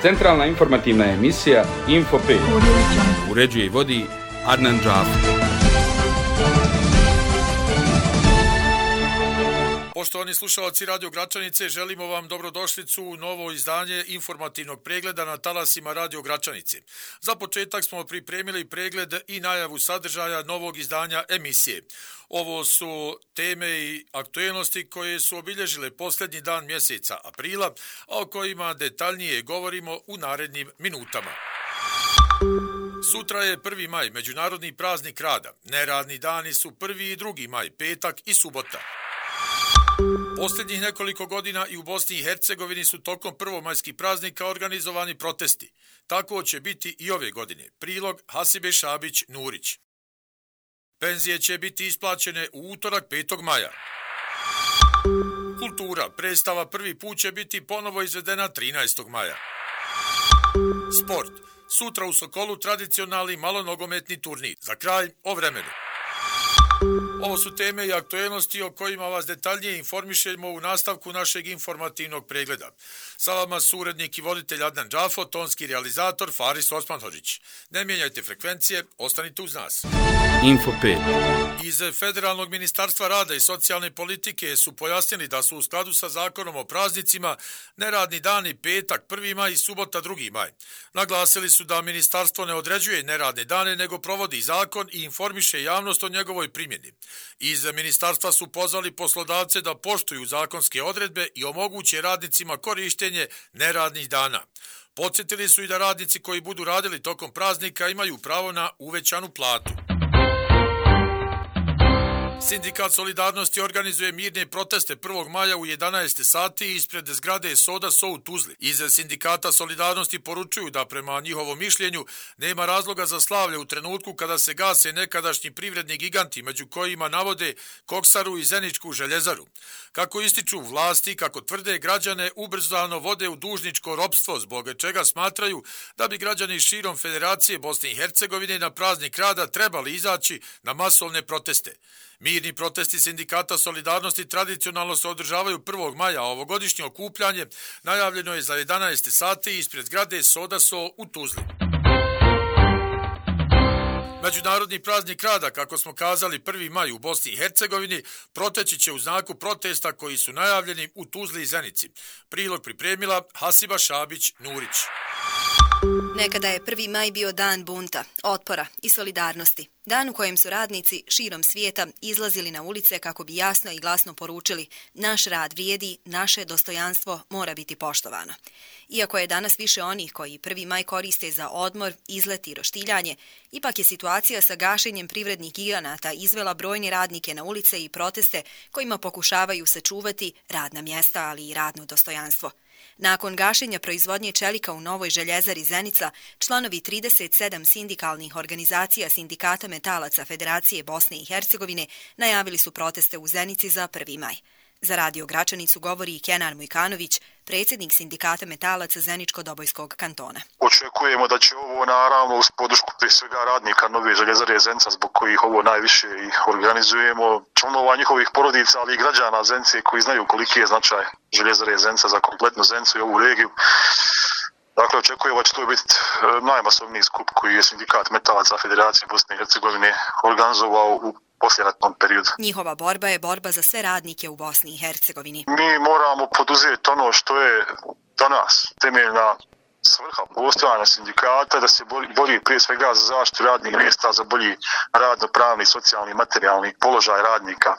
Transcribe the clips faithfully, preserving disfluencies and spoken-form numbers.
Centralna informativna emisija Info pet. Uređuje i vodi Adnan Džafer. Poštovani slušalci Radio Gračanice, želimo vam dobrodošlicu u novo izdanje informativnog pregleda na talasima Radio Gračanice. Za početak smo pripremili pregled i najavu sadržaja novog izdanja emisije. Ovo su teme i aktuelnosti koje su obilježile posljednji dan mjeseca aprila, a o kojima detaljnije govorimo u narednim minutama. Sutra je prvi maj, međunarodni praznik rada. Neradni dani su prvi i drugi maj, petak i subota. Posljednjih nekoliko godina i u Bosni i Hercegovini su tokom prvomajskih praznika organizovani protesti. Tako će biti i ove godine. Prilog Hasibe Šabić-Nurić. Penzije će biti isplaćene u utorak petog maja. Kultura. Predstava prvi put će biti ponovo izvedena trinaestog maja. Sport. Sutra u Sokolu tradicionalni malonogometni turnir. Za kraj o vremenu. Ovo su teme i aktuelnosti o kojima vas detaljnije informišemo u nastavku našeg informativnog pregleda. Sa vama su urednik i voditelj Adnan Džafo, tonski realizator Faris Osmanhodžić. Ne mijenjajte frekvencije, ostanite uz nas. Info pet. Iz Federalnog ministarstva rada i socijalne politike su pojasnili da su u skladu sa zakonom o praznicima neradni dani petak prvi maj i subota drugi maj. Naglasili su da ministarstvo ne određuje neradne dane nego provodi zakon i informiše javnost o njegovoj primjeni. Iz ministarstva su pozvali poslodavce da poštuju zakonske odredbe i omoguće radnicima korištenje neradnih dana. Podsjetili su i da radnici koji budu radili tokom praznika imaju pravo na uvećanu platu. Sindikat Solidarnosti organizuje mirne proteste prvog maja u jedanaest sati ispred zgrade Soda So u Tuzli. Iz Sindikata Solidarnosti poručuju da prema njihovom mišljenju nema razloga za slavlje u trenutku kada se gase nekadašnji privredni giganti, među kojima navode Koksaru i Zeničku željezaru. Kako ističu vlasti, kako tvrde, građane ubrzano vode u dužničko ropstvo, zbog čega smatraju da bi građani širom Federacije Bosne i Hercegovine na praznik rada trebali izaći na masovne proteste. Mirni protesti Sindikata Solidarnosti tradicionalno se održavaju prvog maja, a ovogodišnje okupljanje najavljeno je za jedanaest sati ispred zgrade Soda So u Tuzli. Međunarodni praznik rada, kako smo kazali prvi maj u Bosni i Hercegovini, proteći će u znaku protesta koji su najavljeni u Tuzli i Zenici. Prilog pripremila Hasiba Šabić-Nurić. Nekada je prvi maj bio dan bunta, otpora i solidarnosti. Dan u kojem su radnici širom svijeta izlazili na ulice kako bi jasno i glasno poručili: naš rad vrijedi, naše dostojanstvo mora biti poštovano. Iako je danas više onih koji prvi maj koriste za odmor, izlet i roštiljanje, ipak je situacija sa gašenjem privrednih giganata izvela brojne radnike na ulice i proteste kojima pokušavaju sačuvati radna mjesta, ali i radno dostojanstvo. Nakon gašenja proizvodnje čelika u Novoj željezari Zenica, članovi trideset sedam sindikalnih organizacija Sindikata metalaca Federacije Bosne i Hercegovine najavili su proteste u Zenici za prvi maj. Za Radio Gračanicu govori Kenan Mujkanović, predsjednik Sindikata metalaca Zeničko-Dobojskog kantona. Očekujemo da će ovo naravno uz podršku prije svega radnika Nove željezare Zenica, zbog kojih ovo najviše ih organizujemo, članova njihovih porodica, ali i građana Zenice koji znaju koliki je značaj željezare Zenica za kompletnu Zenicu i ovu regiju. Dakle, očekujemo da će to biti najmasovniji skup koji je Sindikat metalaca Federacije Bosne i Hercegovine organizovao u poslijeratnom periodu. Njihova borba je borba za sve radnike u Bosni i Hercegovini. Mi moramo poduzeti ono što je danas temeljna svrha postojanja sindikata, da se bori prije svega za zaštitu radnih mjesta, za bolji radno-pravni, socijalni i materijalni položaj radnika.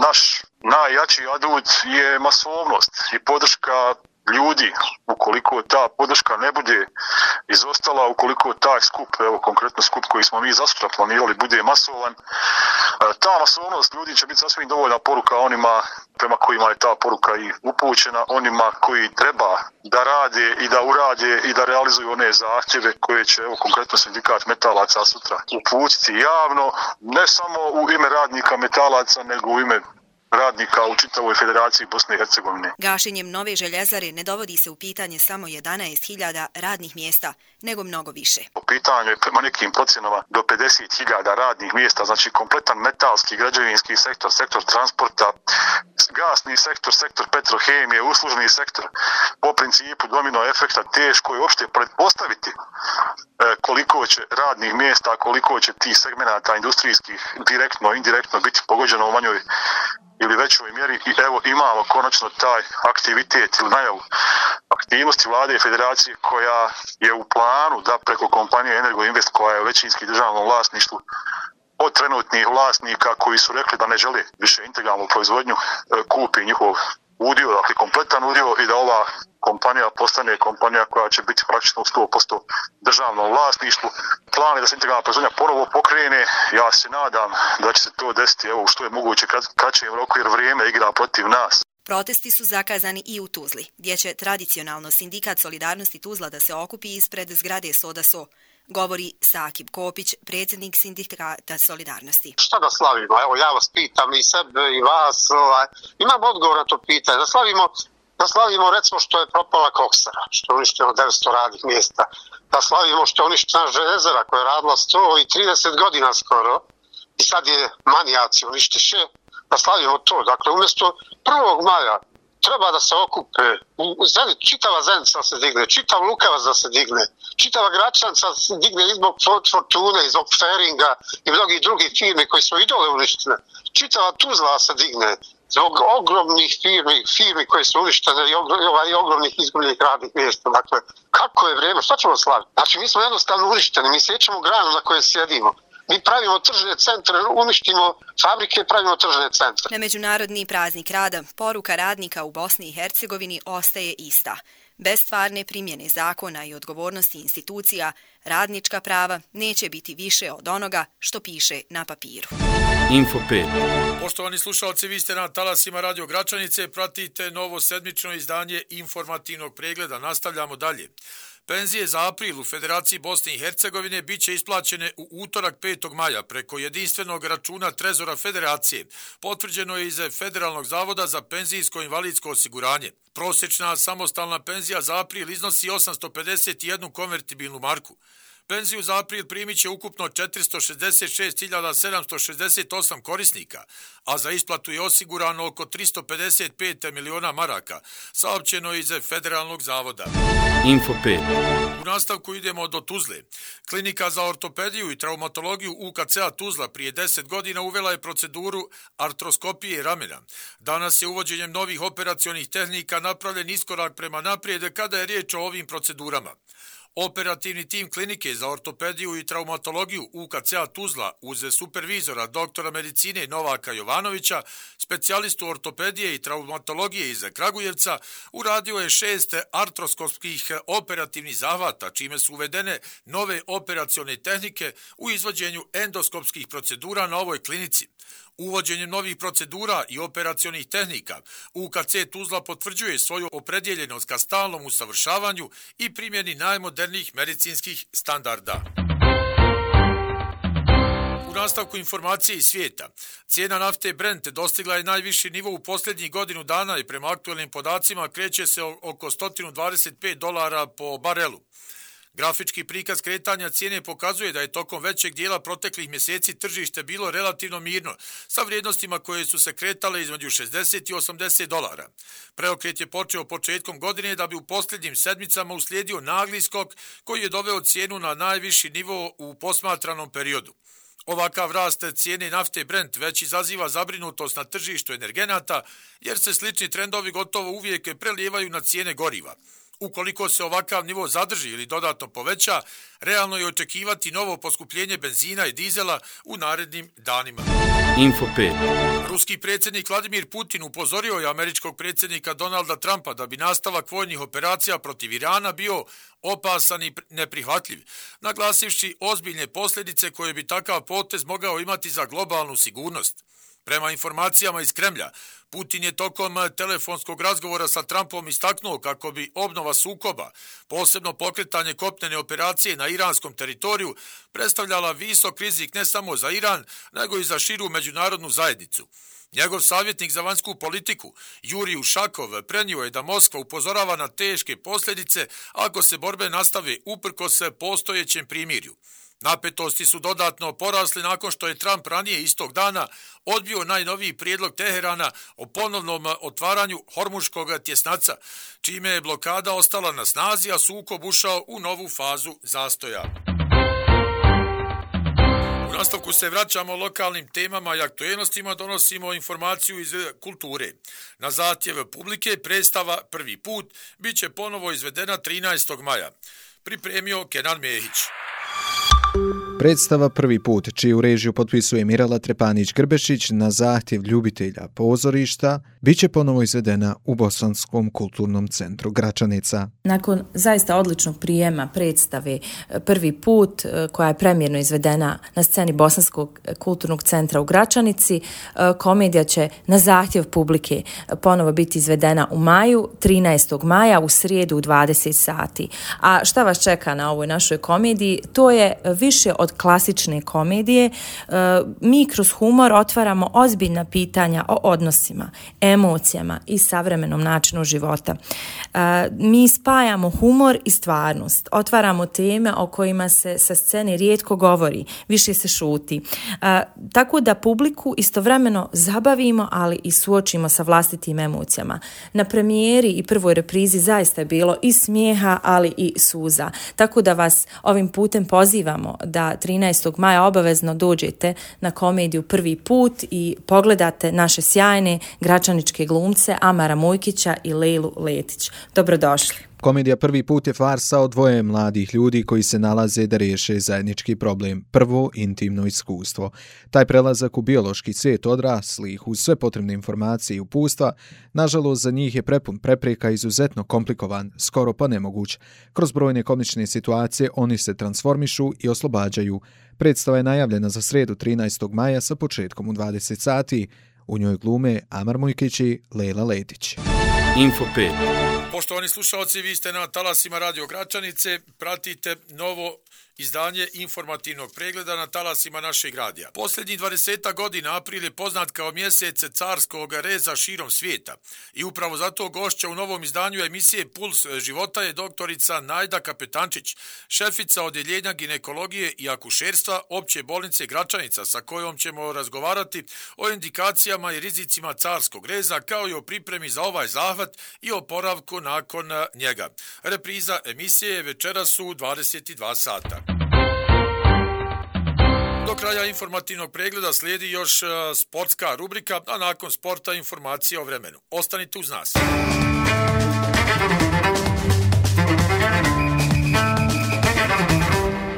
Naš najjači adut je masovnost i podrška ljudi. Ukoliko ta podrška ne bude izostala, ukoliko taj skup, evo konkretno skup koji smo mi zasutra planirali, bude masovan, ta masovnost ljudi će biti sasvim dovoljna poruka onima prema kojima je ta poruka i upućena, onima koji treba da rade i da urade i da realizuju one zahtjeve koje će, evo konkretno Sindikat metalaca sutra uputiti javno, ne samo u ime radnika metalaca, nego u ime radnika u čitavoj Federaciji Bosne i Hercegovine. Gašenjem nove željezare ne dovodi se u pitanje samo jedanaest hiljada radnih mjesta, nego mnogo više. Po pitanju je prema nekim procjenama do pedeset hiljada radnih mjesta, znači kompletan metalski, građevinski sektor, sektor transporta, gasni sektor, sektor petrohemije, uslužni sektor. Po principu domino efekta teško je uopšte pretpostaviti koliko će radnih mjesta, koliko će tih segmenata industrijskih direktno, indirektno biti pogođeno u manjoj ili većoj mjeri i evo imamo konačno taj aktivitet ili najavu aktivnosti vlade i federacije koja je u planu da preko kompanije Energoinvest koja je u većinski državnom vlasništvu od trenutnih vlasnika koji su rekli da ne žele više integralnu proizvodnju kupi njihov udio, dakle kompletan udio i da ova kompanija postane kompanija koja će biti praktično u sto posto državnom vlasništvu. Plan je da se integralna proizvodnja ponovo pokrene. Ja se nadam da će se to desiti evo što je moguće kraćem roku jer vrijeme igra protiv nas. Protesti su zakazani i u Tuzli, gdje će tradicionalno Sindikat Solidarnosti Tuzla da se okupi ispred zgrade Soda So, govori Sakib Kopić, predsjednik Sindikata Solidarnosti. Šta da slavimo? Evo ja vas pitam i sebe i vas. Ovaj, imam odgovor na to pitanje. Da slavimo, da slavimo recimo što je propala koksara, što je uništeno devetsto radnih mjesta. Da slavimo što je uništena željezara koja je radila sto trideset godina skoro i sad je manijaci uništiše. Da slavimo to. Dakle, umjesto prvog maja treba da se okupe, u Zenit, čitava Zenica da se digne, čitav Lukavac da se digne, čitava Gračanca da se digne i zbog Fortune, i zbog Feringa i mnogih drugih firmi koji su i dole uništene. Čitava Tuzla da se digne zbog ogromnih firmi, firmi koje su uništene i, ogrom, i ogromnih izgubljenih radnih mjesta. Dakle, kako je vrijeme, šta ćemo slaviti? Znači, mi smo jednostavno uništeni, mi sjećamo granu na kojoj sjedimo. Mi pravimo tržne centre, uništimo fabrike, pravimo tržne centre. Na Međunarodni praznik rada poruka radnika u Bosni i Hercegovini ostaje ista. Bez stvarne primjene zakona i odgovornosti institucija, radnička prava neće biti više od onoga što piše na papiru. Info pet. Poštovani slušalci, vi ste na talasima Radio Gračanice, pratite novo sedmično izdanje informativnog pregleda. Nastavljamo dalje. Penzije za april u Federaciji Bosne i Hercegovine bit će isplaćene u utorak petog maja preko jedinstvenog računa Trezora Federacije. Potvrđeno je iz Federalnog zavoda za penzijsko-invalidsko osiguranje. Prosječna samostalna penzija za april iznosi osamsto pedeset jednu konvertibilnu marku. Penziju za april primit će ukupno četiristo šezdeset šest hiljada sedamsto šezdeset osam korisnika, a za isplatu je osigurano oko tristo pedeset pet miliona maraka, saopćeno iz Federalnog zavoda. Info pet. U nastavku idemo do Tuzle. Klinika za ortopediju i traumatologiju U K C-a Tuzla prije deset godina uvela je proceduru artroskopije ramena. Danas je uvođenjem novih operacionih tehnika napravljen iskorak prema naprijed kada je riječ o ovim procedurama. Operativni tim klinike za ortopediju i traumatologiju U K C-a Tuzla uz supervizora doktora medicine Novaka Jovanovića, specijalistu ortopedije i traumatologije iz Kragujevca, uradio je šest artroskopskih operativnih zahvata, čime su uvedene nove operacione tehnike u izvođenju endoskopskih procedura na ovoj klinici. Uvođenjem novih procedura i operacionih tehnika, U K C Tuzla potvrđuje svoju opredjeljenost ka stalnom usavršavanju i primjeni najmodernijih medicinskih standarda. U nastavku informacije iz svijeta, cijena nafte Brent dostigla je najviši nivo u posljednjih godinu dana i prema aktualnim podacima kreće se oko sto dvadeset pet dolara po barelu. Grafički prikaz kretanja cijene pokazuje da je tokom većeg dijela proteklih mjeseci tržište bilo relativno mirno, sa vrijednostima koje su se kretale između šezdeset i osamdeset dolara. Preokret je počeo početkom godine da bi u posljednjim sedmicama uslijedio nagli skok koji je doveo cijenu na najviši nivo u posmatranom periodu. Ovakav rast cijene nafte Brent već izaziva zabrinutost na tržištu energenata, jer se slični trendovi gotovo uvijek prelijevaju na cijene goriva. Ukoliko se ovakav nivo zadrži ili dodatno poveća, realno je očekivati novo poskupljenje benzina i dizela u narednim danima. Info pet. Ruski predsjednik Vladimir Putin upozorio je američkog predsjednika Donalda Trumpa da bi nastavak vojnih operacija protiv Irana bio opasan i neprihvatljiv, naglasivši ozbiljne posljedice koje bi takav potez mogao imati za globalnu sigurnost. Prema informacijama iz Kremlja, Putin je tokom telefonskog razgovora sa Trumpom istaknuo kako bi obnova sukoba, posebno pokretanje kopnene operacije na iranskom teritoriju, predstavljala visok rizik ne samo za Iran, nego i za širu međunarodnu zajednicu. Njegov savjetnik za vanjsku politiku, Jurij Ušakov, prenio je da Moskva upozorava na teške posljedice ako se borbe nastave uprkos postojećem primirju. Napetosti su dodatno porasli nakon što je Trump ranije istog dana odbio najnoviji prijedlog Teherana o ponovnom otvaranju Hormuškog tjesnaca, čime je blokada ostala na snazi, a sukob ušao u novu fazu zastoja. U nastavku se vraćamo lokalnim temama i aktuelnostima, donosimo informaciju iz kulture. Na zahtjev publike predstava Prvi put bit će ponovo izvedena trinaestog maja. Pripremio Kenan Mehić. Predstava Prvi put, čiju režiju potpisuje Mirela Trepanić-Grbešić na zahtjev ljubitelja pozorišta, bit će ponovo izvedena u Bosanskom kulturnom centru Gračanica. Nakon zaista odličnog prijema predstave Prvi put, koja je premjerno izvedena na sceni Bosanskog kulturnog centra u Gračanici, komedija će na zahtjev publike ponovo biti izvedena u maju, trinaestog maja, u srijedu u dvadeset sati. A šta vas čeka na ovoj našoj komediji? To je više od klasične komedije. Mi kroz humor otvaramo ozbiljna pitanja o odnosima, emocijama i savremenom načinu života. Mi spajamo humor i stvarnost, otvaramo teme o kojima se sa scene rijetko govori, više se šuti. Tako da publiku istovremeno zabavimo, ali i suočimo sa vlastitim emocijama. Na premijeri i prvoj reprizi zaista je bilo i smijeha, ali i suza. Tako da vas ovim putem pozivamo da trinaestog maja obavezno dođete na komediju Prvi put i pogledate naše sjajne gračaničke glumce Amara Mujkića i Lejlu Letić. Dobrodošli. Komedija Prvi put je farsa o dvoje mladih ljudi koji se nalaze da riješe zajednički problem. Prvo, intimno iskustvo. Taj prelazak u biološki svijet odraslih uz sve potrebne informacije i upustva, nažalost za njih je prepun prepreka, izuzetno komplikovan, skoro pa nemoguć. Kroz brojne komične situacije oni se transformišu i oslobađaju. Predstava je najavljena za srijedu trinaestog maja sa početkom u dvadeset sati. U njoj glume Amar Mujkić i Lejla Letić. Info pet. Poštovani slušalci, vi ste na talasima Radio Gračanice, pratite novo izdanje informativnog pregleda na talasima našeg radija. Posljednjih dvadeset godina april je poznat kao mjesec carskog reza širom svijeta i upravo zato gošća u novom izdanju emisije Puls života je doktorica Najda Kapetančić, šefica odjeljenja ginekologije i akušerstva Opće bolnice Gračanica, sa kojom ćemo razgovarati o indikacijama i rizicima carskog reza, kao i o pripremi za ovaj zahvat i oporavku nakon njega. Repriza emisije je večeras u dvadeset dva sata. Do kraja informativnog pregleda slijedi još sportska rubrika, a nakon sporta informacije o vremenu. Ostanite uz nas.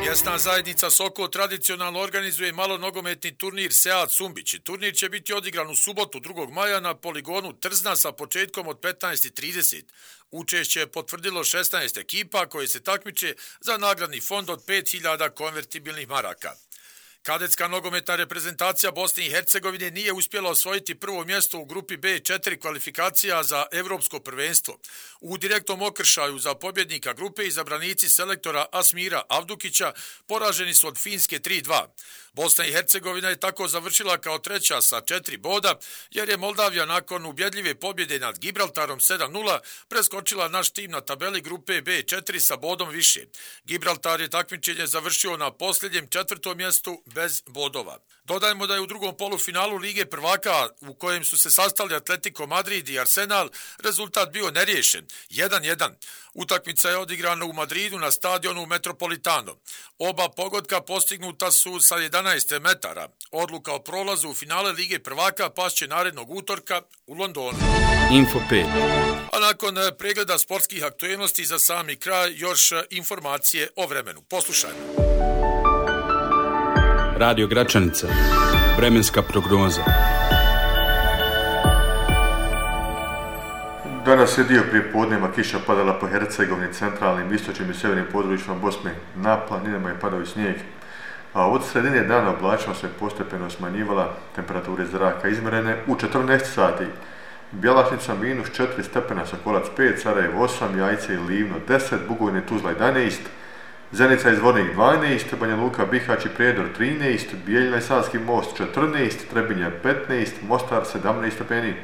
Mjesna zajednica Sokol tradicionalno organizuje malonogometni turnir Sead Sumbić. Turnir će biti odigran u subotu drugog maja na poligonu Trzna sa početkom od petnaest i trideset. Učešće je potvrdilo šesnaest ekipa koje se takmiče za nagradni fond od pet hiljada konvertibilnih maraka. Kadetska nogometna reprezentacija Bosne i Hercegovine nije uspjela osvojiti prvo mjesto u grupi B četiri kvalifikacija za Evropsko prvenstvo. U direktnom okršaju za pobjednika grupe izabranici selektora Asmira Avdukića poraženi su od Finske tri dva. Bosna i Hercegovina je tako završila kao treća sa četiri boda, jer je Moldavija nakon ubjedljive pobjede nad Gibraltarom sedam nula preskočila naš tim na tabeli grupe B četiri sa bodom više. Gibraltar je takmičenje završio na posljednjem četvrtom mjestu bez bodova. Dodajmo da je u drugom polufinalu Lige prvaka, u kojem su se sastali Atletico Madrid i Arsenal, rezultat bio neriješen, jedan jedan. Utakmica je odigrana u Madridu na stadionu Metropolitano. Oba pogotka postignuta su sa jedanaest metara. Odluka o prolazu u finale Lige prvaka pašće narednog utorka u Londonu. Info pet. A nakon pregleda sportskih aktuelnosti za sami kraj još informacije o vremenu. Poslušajmo. Radio Gračanica. Vremenska prognoza. Danas je dio prije podneva kiša padala po Hercegovini, centralnim, istočnim i sjevernim područjima Bosne. Na planinama je padao i snijeg. A od sredine dana oblačnost se postepeno smanjivala, temperature zraka izmjerene u četrnaest sati. Bjelašnica minus četiri stepena, Sokolac pet, Sarajevo osam, Jajce i Livno deset, Bugojne, Tuzla jedanaest, Zenica i Zvornik dvanaest, Banja Luka, Bihać i Prijedor trinaest, Bijeljina i Savski most četrnaest, Trebinje petnaest, Mostar sedamnaest stepeni.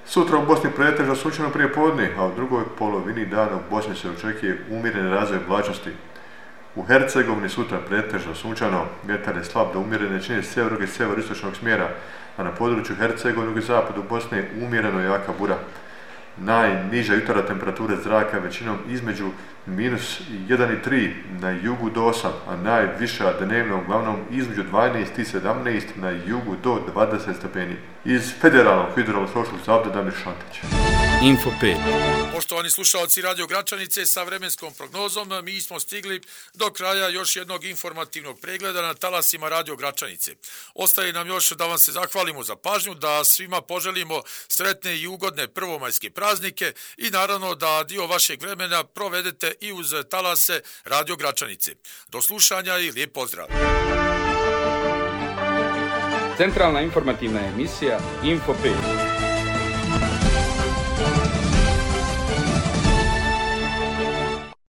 Sutra u Bosni pretežno sunčano prije podne, a u drugoj polovini dana u Bosni se očekuje umjereni razvoj oblačnosti. U Hercegovini sutra pretežno sunčano, vjetar je slab do umjerene čine sjevernog i sjeveristočnog smjera, a na području Hercegovine i zapadu Bosne umjereno jaka bura. Najniža jutarnja temperatura zraka većinom između minus jedan i tri na jugu do osam, a najviša dnevno uglavnom između dvanaest i sedamnaest na jugu do dvadeset stepeni. Iz Federalnog hidrološkog zavoda Damir Šantić. Info pet. Poštovani slušalci Radio Gračanice, sa vremenskom prognozom mi smo stigli do kraja još jednog informativnog pregleda na talasima Radio Gračanice. Ostaje nam još da vam se zahvalimo za pažnju, da svima poželimo sretne i ugodne prvomajske praznike i naravno da dio vašeg vremena provedete i uz talase Radio Gračanice. Do slušanja i lijep pozdrav! Centralna informativna emisija Info pet.